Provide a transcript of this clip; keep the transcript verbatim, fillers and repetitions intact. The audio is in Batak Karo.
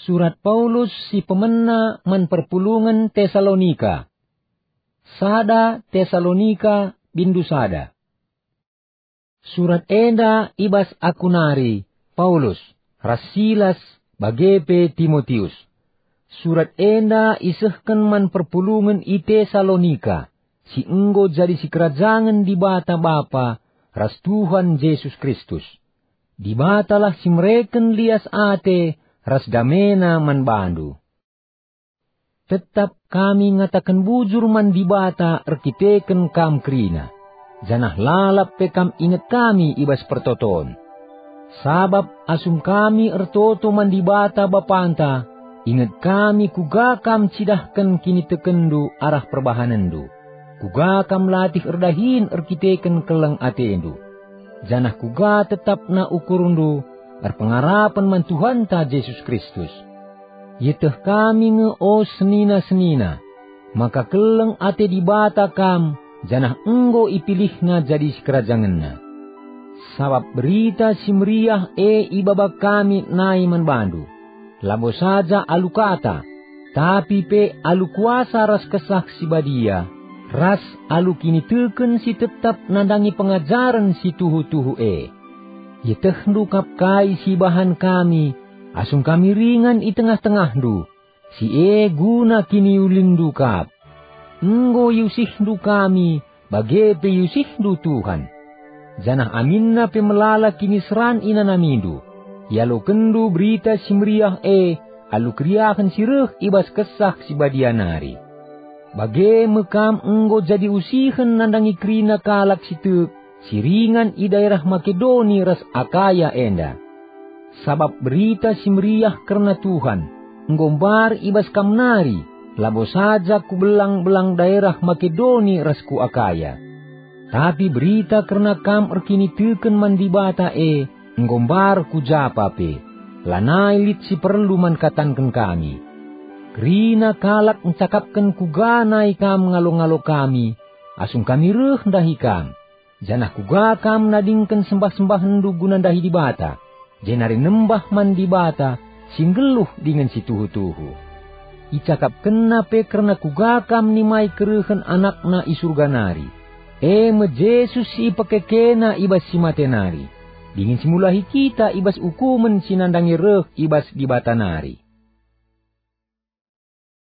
Surat Paulus si pemena man perpulungen Tesalonika. Sada Tesalonika, bindu sada. Surat enda i bas aku nari, Paulus, ras Silas, bage pe Timotius. Surat enda isehken man perpulungen i Tesalonika, si enggo jadi sikerajangen Dibata Bapa ras Tuhan Jesus Kristus. Dibatalah si mereken lias ate ras damena man bandu. Tetap kami ngataken bujur man Dibata erkiteken kam kerina, janah lalap pe kam inget kami i bas pertoton. Sabap asum kami ertoto man Dibata Bapanta, inget kami kuga kam cidahken kinitekenndu arah perbahanenndu, kuga kam latih erdahin erkiteken keleng atendu, janah kuga tetapna ukurndu erpengarapen man Tuhanta Jesus Kristus. Ieteh kami nge, o senina-senina, maka keleng ate Dibata kam, janah enggo ipilihNa jadi sikerajangenNa. Sabap Berita Si Meriah e ibaba kami nai man bandu, labo saja alu kata, tapi pe alu kuasa ras Kesah Si Badia, ras alu kiniteken si tetap nandangi pengajaren si tuhu-tuhu e. Ietehndu kap kai si ibahan kami, asum kami ringan i tengah-tengahndu, si e guna kiniulinndu kap. Enggo iusihndu kami, bage pe iusihndu Tuhan. Janah aminna pe melala kiniseran inanamindu, ialokenndu Berita Si Meriah e alu keriahen si reh i bas Kesah Si Badia nari. Bage me kam enggo jadi usihen nandangi kerina kalak si tek si ringan i daerah Makedoni ras Akaya enda. Sabap Berita Si Meriah kerna Tuhan enggo mbar i bas kam nari, labo saja ku belang-belang daerah Makedoni ras ku Akaya. Tapi berita kerna kam erkiniteken man Dibata e enggo mbar ku japa pe, lanai lit si perlu man katanken kami. Kerina kalak ncakapken kuga nai kam ngalo-ngalo kami, asum kami reh ndahi kam, janah kuga kam nadingken sembah-sembahenndu guna ndahi Dibata, jenari nembah man Dibata si nggeluh dingen si tuhu-tuhu. IcakapkenNa pe kerna kuga kam nimai kerehen AnakNa i Surga nari, e me Jesus si ipekekeNa i bas si mate nari, dingen si mulahi kita i bas ukumen si nandangi reh i bas Dibata nari.